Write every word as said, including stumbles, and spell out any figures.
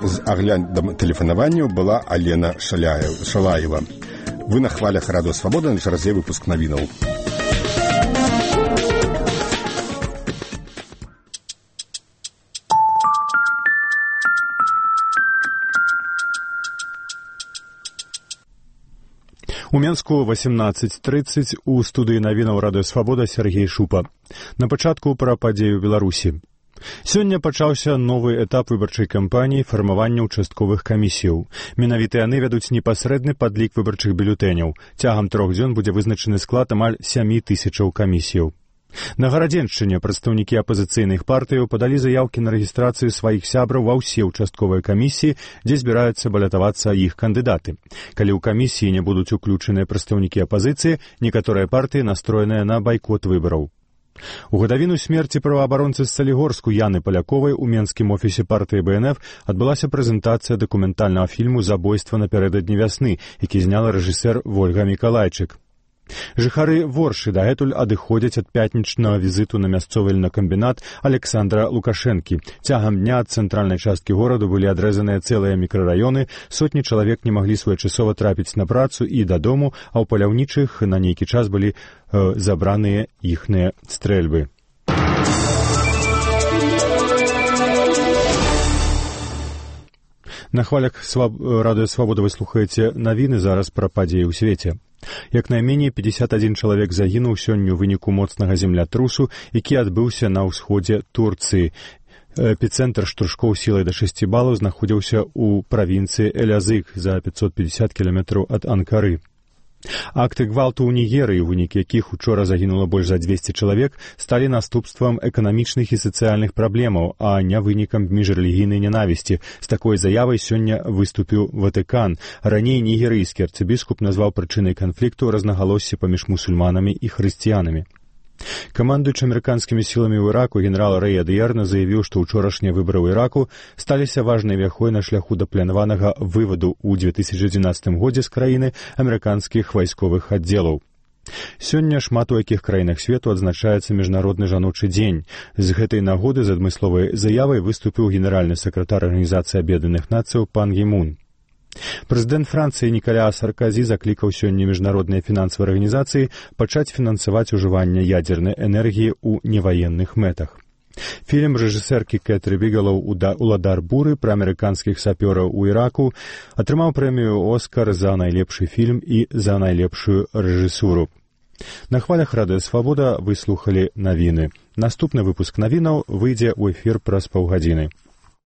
з аглядам тэлефанаванняў была Алена Шалаева. Вы на хвалях Радыё Свабода, на чарзе выпуск навінаў. У Менску восемнадцать тридцать у студыі навінаў Радыё Свабода Сергей Шупа. На пачатку пра падзею Беларусі. Сёння пачаўся новы этап выбарчай кампаніі фармавання ўчастковых камісіяў. Менавіта яны вядуць непасрэдны падлік выбарчых бюлетэняў. Цягам трох дзён будзе вызначаны склад амаль сямі тысячаў камісіяў. На Гарадзеншчыне прадстаўнікі апазіцыйных партыяў падалі заяўкі на рэгістрацыю сваіх сябраў ва ўсе ўчастковыя камісіі, дзе збіраюцца балятавацца іх кандыдаты. Калі ў камісіі не будуць уключаныя прадстаўнікі апазіцыі, некаторыя партыі настроеныя на байкот выбараў. У гадавіну смерці праваабаронцы з Салігорску Яны Паляковай у менскім офісе партыі Бэ Эн Эф адбылася прэзентацыя дакументальнага фільму «Забойства напярэдадні вясны», які зняла рэжысэр Вольга Мікалайчык. Жыхары Воршы дагэтуль адыходзяць ад пятнічнага візіту на мясцовы льнакамбінат Александра Лукашэнкі. Цягам дня ад цэнтральнай часткі гораду былі адрэзаныя цэлыя мікрараёны, сотні чалавек не маглі своечасова трапіць на працу і дадому, а ў паляўнічых на нейкі час былі э, забраныя іхныя стрэльбы. На хвалях Сваб... Радыё Свабода вы слухаеце навіны зараз пра падзеі ў свеце. Як найменей пятьдесят один чалавек загінуў сёння ў выніку моцнага землятрусу, які адбыўся на ўсходзе Турцыі. Эпіцэнтр штуршкоў сілай да шасці балаў знаходзіўся ў правінцыі Элязык за пятьсот пятьдесят кіламетраў ад Анкары. Акты гвалту ў Нігерыі, у выніку якіх учора загінула больш за двести чалавек, сталі наступствам эканамічных і сацыяльных праблемаў, а не вынікам міжрэлігійнай нянавісці. З такой заявай сёння выступіў Ватыкан. Раней нігерыйскі арцыбіскуп назваў прычынай канфлікту рознагалоссі паміж мусульманамі і хрысціянамі. Камандуючы амерыканскімі сіламі ў Іраку генерал Рэй Адыярна заявіў, што ўчорашнія выбары ў Іраку сталіся важнай вяхой на шляху да планаванага вываду ў две тысячы дванаццатым годзе з краіны амерыканскіх вайсковых аддзелаў. Сёння шмат у якіх краінах свету адзначаецца міжнародны жаночы дзень. З гэтай нагоды з адмысловай заявай выступіў генеральны сакратар Арганізацыі Аб'яднаных Нацыяў пан Гімун. Прэзідэнт Францыі Нікаля Сарказі заклікаў сёння міжнародныя фінансавыя арганізацыі пачаць фінансаваць ужыванне ядзернай энергіі ў неваенных мэтах. Фільм рэжысэркі Кэтры Бігелоў «Уладар буры» пра амерыканскіх сапёраў у Іраку атрымаў прэмію «Оскар» за найлепшы фільм і за найлепшую рэжысуру. На хвалях Радыё Свабода вы слухалі навіны. Наступны выпуск навінаў выйдзе ў эфір праз паўгадзіны.